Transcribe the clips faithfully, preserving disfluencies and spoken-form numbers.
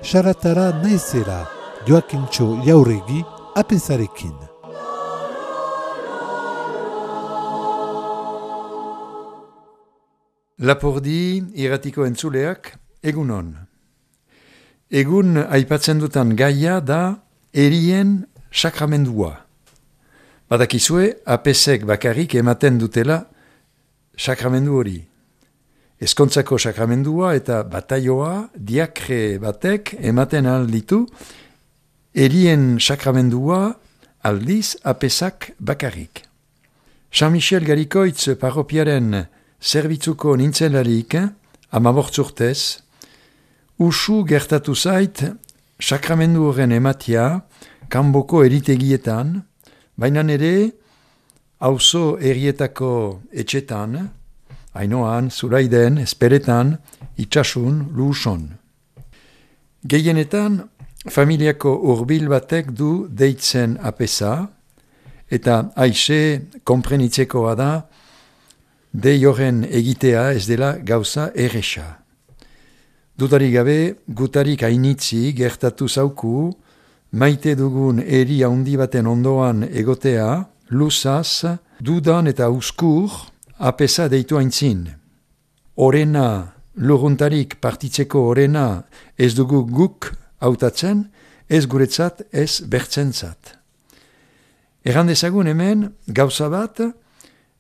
saratara naizera Joakintxo Jauregi apesarekin. Lapurdi irratiko entzuleak, egunon. Egun aipatzen dutan gaia da erien sakramendua. Badakizue, apesek bakarrik ematen dutela sakramendu hori. Ezkontzako sakramendua eta bataioa diakre batek ematen alditu, erien sakramendua aldiz apesak bakarrik. San Michel Garikoitz parropiaren zerbitzuko nintzelarik, amabortzurtez, usu gertatu zait sakramendu horren ematia kanboko eritegietan, baina ere auzo erietako etxetan, Ainoan, Zuraiden, Esperetan, Itxasun, Luuson. Gehienetan, familiako hurbil batek du deitzen apesa, eta aixe konprenitzekoa da, dei horren egitea ez dela gauza erresa. Dudarik gabe, gutarik hainitzi gertatu zauku, maite dugun eri handi baten ondoan egotea, luzaz, dudan eta uskur, apesa deitu aintzin. Orena, luruntarik partitzeko orena ez dugu guk hautatzen, ez guretzat, ez bertzentzat. Erran dezagun hemen, gauza bat,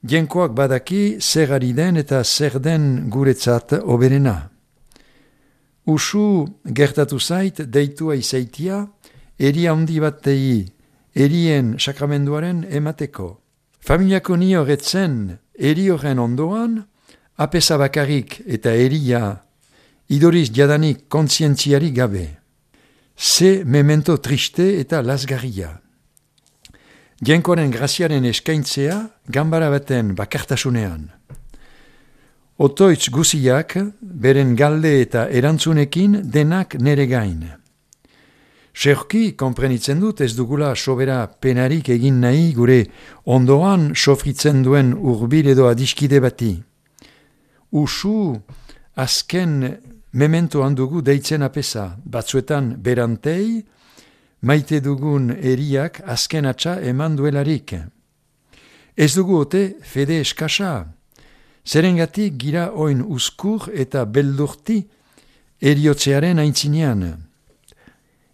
jenkoak badaki zer ari den eta zer den guretzat oberena. Usu gertatu zait deitua izaitia, eri handi batei erien sakramenduaren emateko. Familiako ni horretzen eri horren ondoan, apesa bakarrik eta eria idoriz jadanik kontzientziari gabe. Ze memento triste eta lasgarria. Jenkoaren graziaren eskaintzea ganbara baten bakartasunean. Otoitz guziak, beren galde eta erantzunekin denak nere gain. Seurki, konprenitzen dut ez dugula sobera penarik egin nahi gure ondoan sofritzen duen urbil edo adiskide bati. Usu, azken mementoan dugu deitzen apesa, batzuetan berantei, maite dugun eriak azken atxa eman duelarik. Ez dugu ote fede eskasa, zerengatik gira oin uskur eta beldurti eriotzearen aintzinean.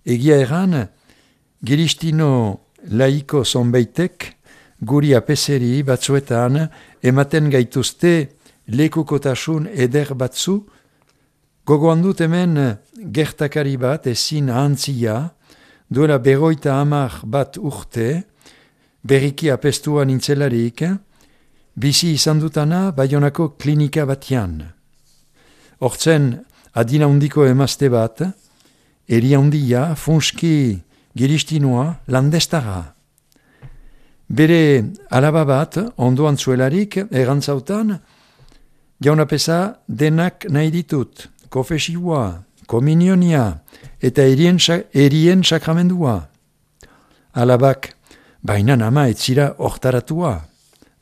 Egia erran, giristino laiko zonbeitek guri apeseri batzuetan ematen gaituzte lekukotasun eder batzu, gogoan dut hemen gertakari bat ezin ahantzia, duela berroita hamar bat urte, berriki apestua nintzelarik, bizi izan dutana Baionako klinika batian. Hortzen adina hundiko emazte bat, eri handia, funski giristinoa, landestara. Bere alaba bat, ondoan zuelarik, errantzautan, jaunapesa denak nahi ditut, kofesiua, kominionia, eta erien, erien sakramendua. Alabak, baina ama etzira hortaratua.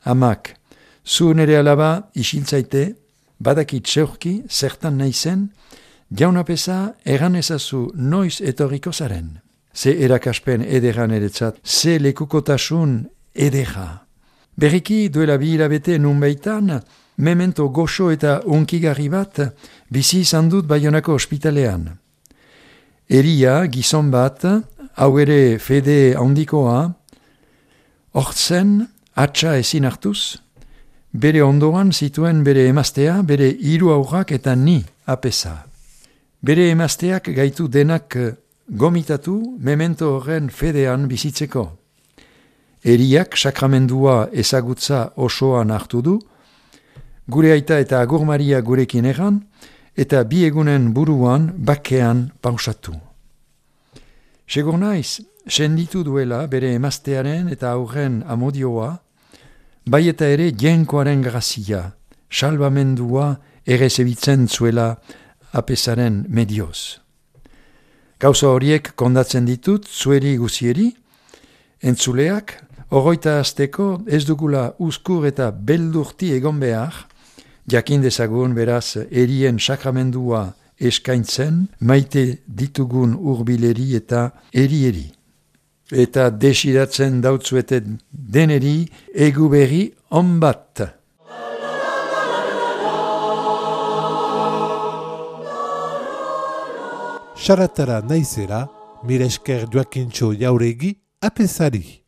Amak, zu nere alaba isiltzaite, badakit zeurki, zertan naizen, jaunapesa erran ezazu noiz etorriko zaren. Ze erakaspen ederan eretzat, ze lekukotasun edera. Berriki duela bi hilabete nunbaitan, memento goxo eta unkigarri bat bizi izan dut Baionako ospitalean. Eria, gizon bat, hau ere fede handikoa, hortzen, atxa ezin hartuz, bere ondoan zituen bere emaztea, bere hiru aurrak eta ni apesa. Bere emazteak gaitu denak gomitatu memento horren fedean bizitzeko. Eriak sakramendua ezagutza osoan hartu du, gure aita eta Agur Maria gurekin egan, eta bi egunen buruan bakean pausatu. Segur naiz, senditu duela bere emaztearen eta aurren amodioa, bai eta ere jenkoaren grazia, salbamendua ere zebitzen zuela apesaren medioz. Gauza horiek kondatzen ditut zueri guzieri, entzuleak, Oroita azteko ez dugula uzkur eta beldurti egon behar, jakin dezagun beraz erien sakramendua eskaintzen maite ditugun hurbileri eta eri-eri. Eta desiratzen dautzueten deneri egu berri on bat. Saratara naizera, mire esker Joakintxo Jauregi apesari.